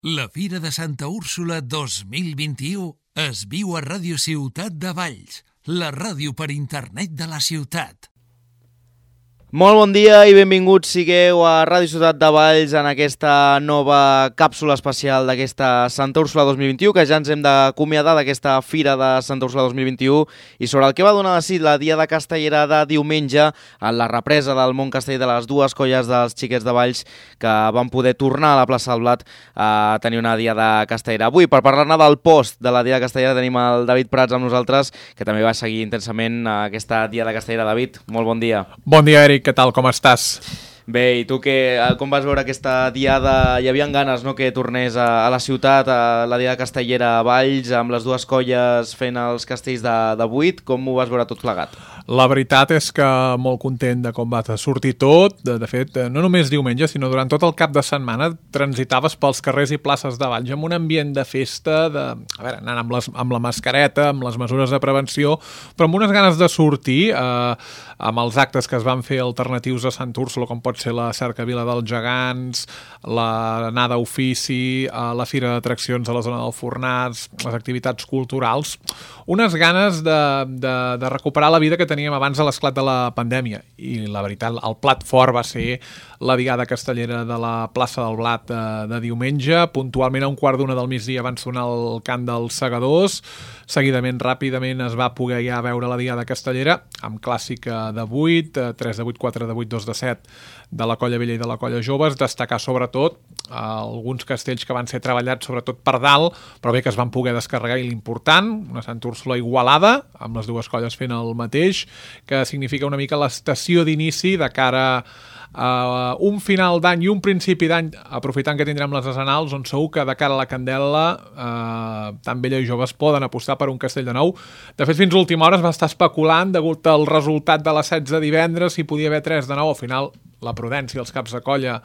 La Fira de Santa Úrsula 2021 es viu a Ràdio Ciutat de Valls, la ràdio per internet de la ciutat. Molt bon dia i benvinguts sigueu a Ràdio Ciutat de Valls en aquesta nova càpsula especial d'aquesta Santa Úrsula 2021, que ja ens hem d'acomiadar d'aquesta Fira de Santa Úrsula 2021 i sobre el que va donar de si la Diada Castellera de diumenge en la represa del món casteller de les dues colles dels xiquets de Valls que van poder tornar a la plaça del Blat a tenir una Diada Castellera. Avui, per parlar-ne del post de la Diada Castellera, tenim el David Prats amb nosaltres, que també va seguir intensament aquesta Diada Castellera. David, molt bon dia. Bon dia, Eric. Què tal? Com estàs? Bé, i tu com vas veure aquesta diada? Hi havia ganes, no?, que tornés a la ciutat, a la Diada Castellera a Valls, amb les dues colles fent els castells de 8. Com ho vas veure tot plegat? La veritat és que molt content de com va sortir tot. De fet, no només diumenge, sinó durant tot el cap de setmana transitaves pels carrers i places de Valls amb un ambient de festa, anant amb la mascareta, amb les mesures de prevenció, però amb unes ganes de sortir, amb els actes que es van fer alternatius a Santa Úrsula, com pot ser la cercavila dels gegants, l'anada a ofici, la fira d'atraccions a la zona del Fornars, les activitats culturals, unes ganes de recuperar la vida que teníem abans de l'esclat de la pandèmia. I la veritat, el plat fort va ser la Diada Castellera de la plaça del Blat de diumenge. Puntualment a 1:15 del migdia van sonar el cant dels segadors. Seguidament, ràpidament, es va poder ja veure la Diada Castellera amb clàssica de 8, 3 de 8, 4 de 8, 2 de 7 de la colla vella i de la colla joves. Destacar sobretot alguns castells que van ser treballats sobretot per dalt, però bé que es van poder descarregar, i l'important, una Santa Úrsula igualada, amb les dues colles fent el mateix, que significa una mica l'estació d'inici de cara a un final d'any i un principi d'any, aprofitant que tindrem les decenals, on segur que de cara a la candela tant vella i joves poden apostar per un castell de nou. De fet, fins a última hora es va estar especulant, degut al resultat de les 16 de divendres, si podia haver 3 de nou. Al final, la prudència als caps de colla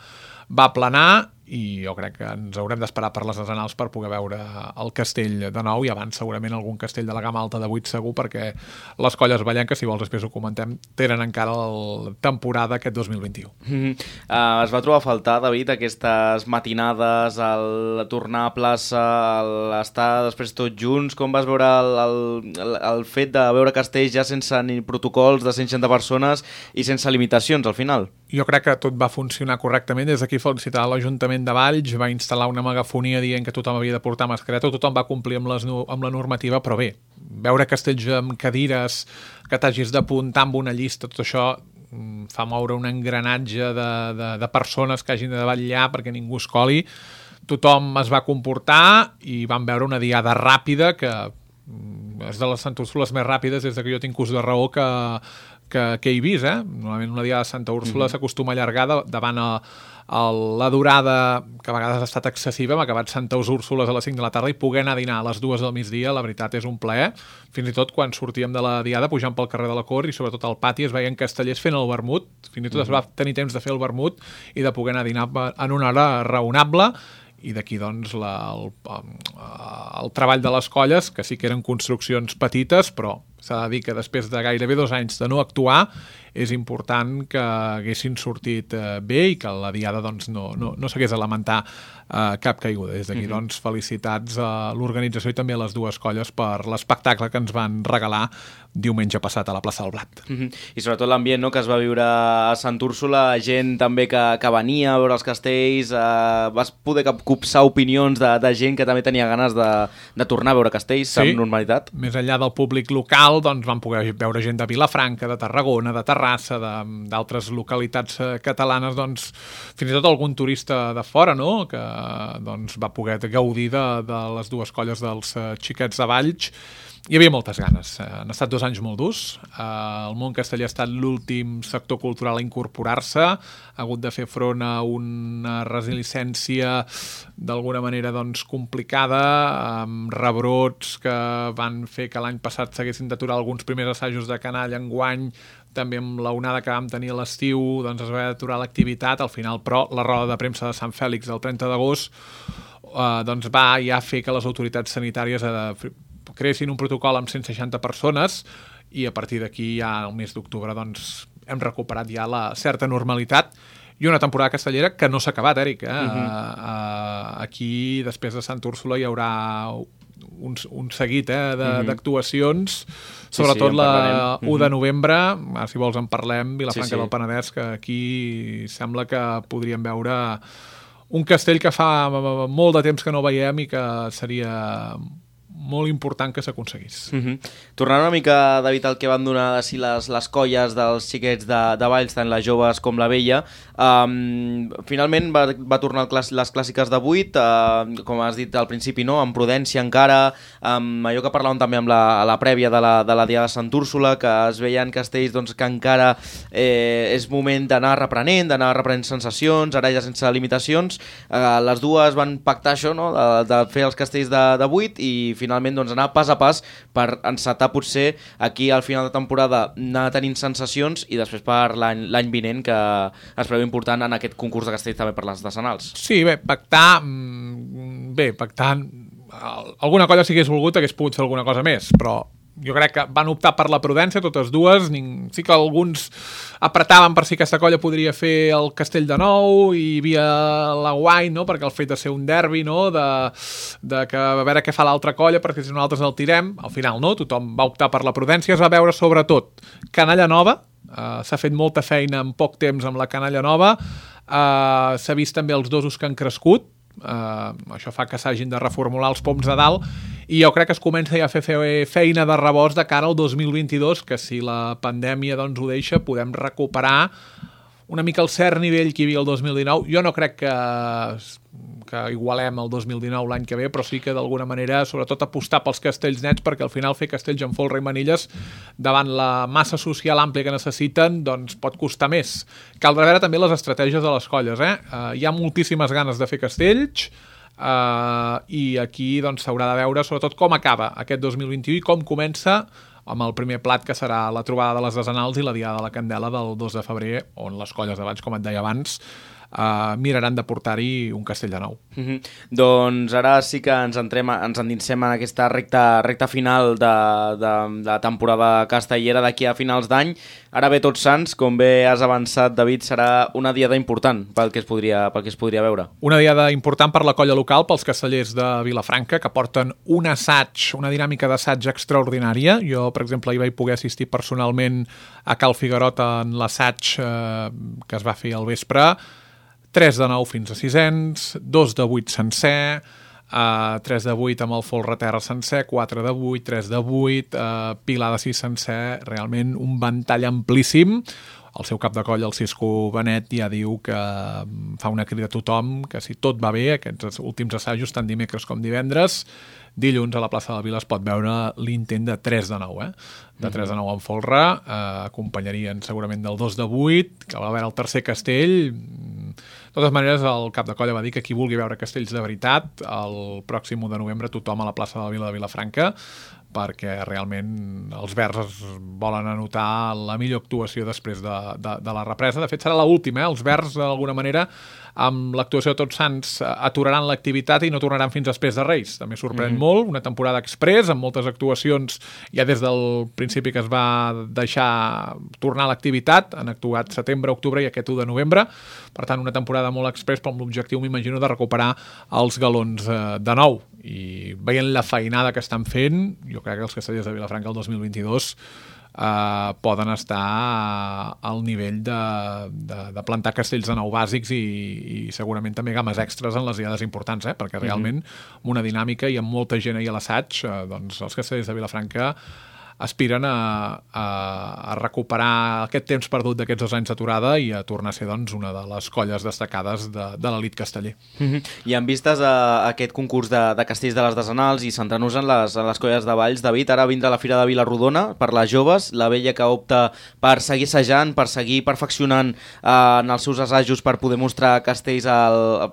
va planar, i jo crec que ens haurem d'esperar per les decenals per poder veure el castell de nou, i abans segurament algun castell de la gamma alta de 8 segur, perquè les colles vallenques, si vols després ho comentem, tenen encara la temporada aquest 2021. Es va trobar a faltar, David, aquestes matinades, el tornar a plaça, l'estar després tots junts? Com vas veure el fet de veure castells ja sense ni protocols de 160 persones i sense limitacions al final? Jo crec que tot va funcionar correctament. Des d'aquí felicitar l'Ajuntament de Valls, va instal·lar una megafonia dient que tothom havia de portar mascareta, tothom va complir amb la normativa, però bé, veure castells amb cadires, que t'hagis d'apuntar amb una llista, tot això fa moure un engranatge de persones que hagin de vetllar perquè ningú es coli. Tothom es va comportar i vam veure una diada ràpida, que és de les Santa Úrsules més ràpides des que jo tinc ús de raó que he vist. Normalment una Diada de Santa Úrsula s'acostuma a allargar davant la durada, que a vegades ha estat excessiva. Hem acabat Santa Úrsules a les 5 de la tarda i poder anar a dinar a les 2 del migdia, la veritat és un plaer. Fins i tot quan sortíem de la Diada, pujant pel carrer de la Cort i sobretot al pati, es veien castellers fent el vermut. Fins i tot es va tenir temps de fer el vermut i de poder anar a dinar en una hora raonable. I d'aquí, doncs, el treball de les colles, que sí que eren construccions petites, però s'ha de dir que després de gairebé 2 anys de no actuar, és important que haguessin sortit bé i que la Diada doncs, no s'hagués de lamentar cap caiguda. Des d'aquí, doncs, felicitats a l'organització i també a les dues colles per l'espectacle que ens van regalar diumenge passat a la plaça del Blat. I sobretot l'ambient, no?, que es va viure a Santa Úrsula, gent també que venia a veure els castells, vas poder copsar opinions de gent que també tenia ganes de tornar a veure castells amb normalitat? Més enllà del públic local, doncs vam poder veure gent de Vilafranca, de Tarragona, de Terrassa, d'altres localitats catalanes, doncs fins i tot algun turista de fora, no?, que doncs va poder gaudir de les dues colles dels xiquets de Valls. Hi havia moltes ganes. Han estat 2 anys molt durs. El món casteller ha estat l'últim sector cultural a incorporar-se, ha hagut de fer front a una resiliència d'alguna manera doncs, complicada, amb rebrots que van fer que l'any passat s'haguessin d'aturar alguns primers assajos de canalla. Enguany, també amb l'onada que vam tenir a l'estiu, doncs es va aturar l'activitat. Al final, però, la roda de premsa de Sant Fèlix del 30 d'agost doncs va ja fer que les autoritats sanitàries creessin un protocol amb 160 persones, i a partir d'aquí ja al mes d'octubre doncs, hem recuperat ja la certa normalitat i una temporada castellera que no s'ha acabat, Eric. Aquí, després de Sant Úrsula, hi haurà un seguit d'actuacions, sobretot la 1 de novembre, si vols en parlem, Vilafranca del Penedès, que aquí sembla que podríem veure un castell que fa molt de temps que no veiem i que seria molt important que s'aconseguís. Tornant una mica, David, al que van donar les colles dels xiquets de Valls, tant les joves com la vella, finalment va tornar les clàssiques de 8, com has dit al principi, no? Amb prudència encara, amb allò que parlàvem també amb la prèvia de la Diada de Sant Úrsula, que es veien castells doncs, que encara és moment d'anar reprenent sensacions, ara ja sense limitacions. Les dues van pactar això, no? de fer els castells de 8 i finalment doncs, anar pas a pas per encetar potser aquí al final de temporada anar tenint sensacions i després per l'any vinent que es preveu important en aquest concurs de castells també per les decenals. Sí, pactar alguna colla si hagués volgut hagués pogut fer alguna cosa més, però jo crec que van optar per la prudència totes dues. Sí que alguns apretaven per si aquesta colla podria fer el castell de nou i hi havia la guai, no? Perquè el fet de ser un derbi, no? de que a veure què fa l'altra colla perquè si nosaltres el tirem, al final no, tothom va optar per la prudència. Es va veure sobretot canalla nova, s'ha fet molta feina en poc temps amb la canalla nova, s'ha vist també els dosos que han crescut, això fa que s'hagin de reformular els poms de dalt i jo crec que es comença ja a fer feina de rebost de cara al 2022, que si la pandèmia doncs, ho deixa, podem recuperar una mica el cert nivell que hi havia el 2019. Jo no crec que igualem el 2019 l'any que ve, però sí que d'alguna manera, sobretot apostar pels castells nets, perquè al final fer castells en folre i manilles davant la massa social àmplia que necessiten, doncs pot costar més. Caldrà veure també les estratègies de les colles. Hi ha moltíssimes ganes de fer castells, i aquí doncs, s'haurà de veure sobretot com acaba aquest 2021 i com comença amb el primer plat que serà la trobada de les decenals i la Diada de la Candela del 2 de febrer, on les colles de Valls, com et deia abans, miraran de portar-hi un castell de nou. Doncs ara sí que ens endinsem en aquesta recta final de temporada castellera d'aquí a finals d'any. Ara ve Tots Sants, com bé has avançat, David, serà una diada important pel que es podria veure. Una diada important per la colla local, pels castellers de Vilafranca, que porten un assaig, una dinàmica d'assaig extraordinària. Jo, per exemple, hi vaig poder assistir personalment a Cal Figuerot en l'assaig que es va fer al vespre. 3 de 9 fins a 600, 2 de 8 sencer, 3 de 8 amb el folreterra sencer, 4 de 8, 3 de 8, pilar de 6 sencer, realment un ventall amplíssim. El seu cap de colla, el Cisco Benet, ja diu que fa una crida a tothom, que si tot va bé, aquests últims assajos, tant dimecres com divendres, dilluns a la plaça de la Vila es pot veure l'intent de 3 de 9, de 3 de 9 en folre, acompanyarien segurament del 2 de 8, que va veure el tercer castell. De totes maneres, el cap de colla va dir que qui vulgui veure castells de veritat, el pròxim 1 de novembre tothom a la plaça de la Vila de Vilafranca, perquè realment els verds volen anotar la millor actuació després de la represa. De fet, serà l'última. Els verds, d'alguna manera, amb l'actuació de Tots Sants, aturaran l'activitat i no tornaran fins després de Reis. També sorprèn molt, una temporada express, amb moltes actuacions ja des del principi que es va deixar tornar a l'activitat. Han actuat setembre, octubre i aquest 1 de novembre. Per tant, una temporada molt express, però amb l'objectiu, m'imagino, de recuperar els galons de nou. I veient la feinada que estan fent, jo crec que els castellers de Vilafranca el 2022 poden estar al nivell de plantar castells de nou bàsics i segurament també games extras en les diades importants, perquè realment amb una dinàmica i amb molta gent ahí a l'assaig, doncs els castellers de Vilafranca aspiren a recuperar aquest temps perdut d'aquests 2 anys d'aturada i a tornar a ser doncs, una de les colles destacades de l'elit casteller. I en vistes a aquest concurs de castells de les decenals i centrant-nos en les colles de Valls, David, ara vindrà la Fira de Vila-rodona per les joves, la vella que opta per seguir assajant, per seguir perfeccionant en els seus assajos per poder mostrar castells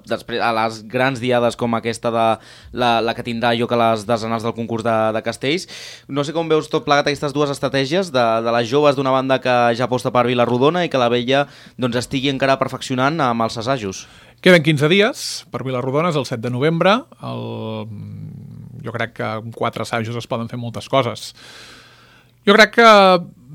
després a les grans diades com aquesta de la que tindrà lloc a les decenals del concurs de castells. No sé com veus tot plegat aquestes dues estratègies de les joves d'una banda que ja aposta per Vila-rodona i que la vella doncs, estigui encara perfeccionant amb els assajos. Queden 15 dies per Vila-rodona, és el 7 de novembre. Jo crec que amb 4 assajos es poden fer moltes coses. Jo crec que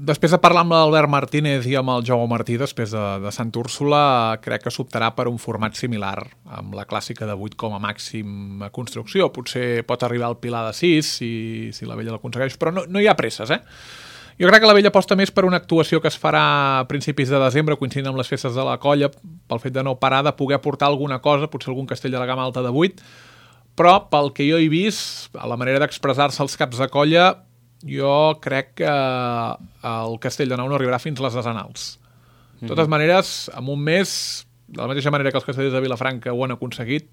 després de parlar amb l'Albert Martínez i amb el Jaume Martí, després de Sant Úrsula, crec que s'optarà per un format similar, amb la clàssica de 8 com a màxim construcció. Potser pot arribar al pilar de 6, si la Vella l'aconsegueix, però no hi ha presses, Jo crec que la Vella aposta més per una actuació que es farà a principis de desembre, coincidint amb les festes de la colla, pel fet de no parar de poder portar alguna cosa, potser algun castell de la gamma alta de 8, però pel que jo he vist, a la manera d'expressar-se als caps de colla, jo crec que el Castell de Nou no arribarà fins a les desenals. De totes maneres, en un mes, de la mateixa manera que els castellers de Vilafranca ho han aconseguit,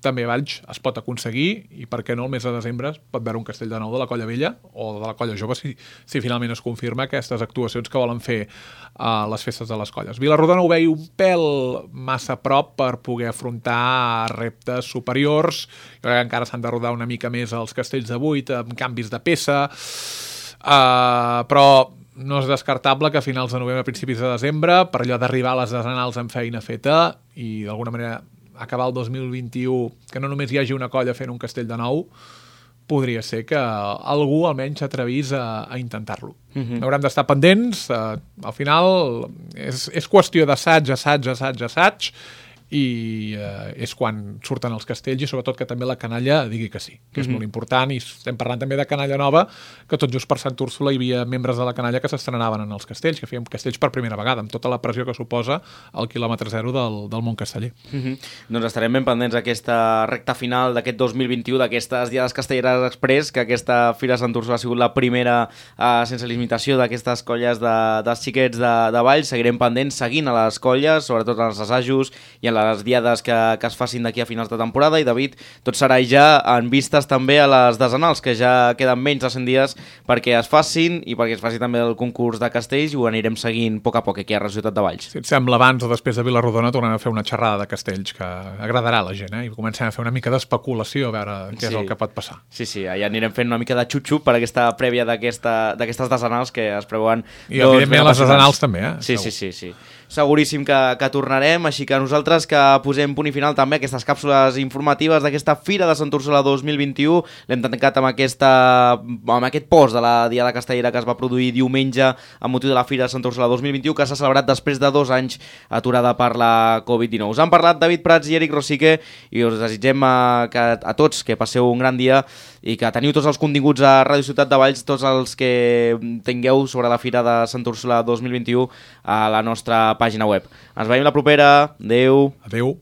també a Valls es pot aconseguir, i per què no, el mes de desembre pot veure un Castell de Nou de la colla vella o de la colla jove, si finalment es confirma aquestes actuacions que volen fer a les festes de les colles. Vilarrodona ho veia un pèl massa a prop per poder afrontar reptes superiors. Jo crec que encara s'han de rodar una mica més els castells de 8 amb canvis de peça, però no és descartable que a finals de novembre, principis de desembre, per allò d'arribar a les desenals amb feina feta i d'alguna manera acabar el 2021, que no només hi hagi una colla fent un castell de nou, podria ser que algú almenys s'atrevís a intentar-lo. Haurem d'estar pendents, al final és qüestió d'assaig, assaig, i és quan surten els castells i sobretot que també la canalla digui que sí, que és molt important, i estem parlant també de canalla nova, que tot just per Sant Úrsula hi havia membres de la canalla que s'estrenaven en els castells, que feien castells per primera vegada, amb tota la pressió que suposa el quilòmetre zero del món casteller. Doncs estarem ben pendents d'aquesta recta final d'aquest 2021, d'aquestes Diades Castelleres Express, que aquesta Fira Sant Úrsula ha sigut la primera sense limitació d'aquestes colles dels xiquets de Valls. Seguirem pendents, seguint a les colles, sobretot en els assajos i en les diades que es facin d'aquí a finals de temporada. I David, tot serà ja en vistes també a les desenals, que ja queden menys de 100 dies perquè es facin i perquè es faci també el concurs de castells, i ho anirem seguint a poc a poc aquí a la ciutat de Valls. Si et sembla, abans o després de Vilarrodona tornem a fer una xerrada de castells que agradarà a la gent, i comencem a fer una mica d'especulació a veure què és el que pot passar. Sí, allà anirem fent una mica de xup-xup per aquesta prèvia d'aquestes desenals que es preveuen. I evidentment les desenals també, Sí. Seguríssim que tornarem, així que nosaltres que posem punt i final també a aquestes càpsules informatives d'aquesta Fira de Sant Úrsula 2021. L'hem tancat amb aquest post de la Diada Castellera que es va produir diumenge amb motiu de la Fira de Sant Úrsula 2021, que s'ha celebrat després de 2 anys aturada per la Covid-19. Us han parlat David Prats i Eric Rosique, i us desitgem a tots que passeu un gran dia i que teniu tots els continguts a Ràdio Ciutat de Valls, tots els que tingueu sobre la Fira de Sant Úrsula 2021 a la nostra pàgina web. Ens veiem la propera. Adéu. Adéu.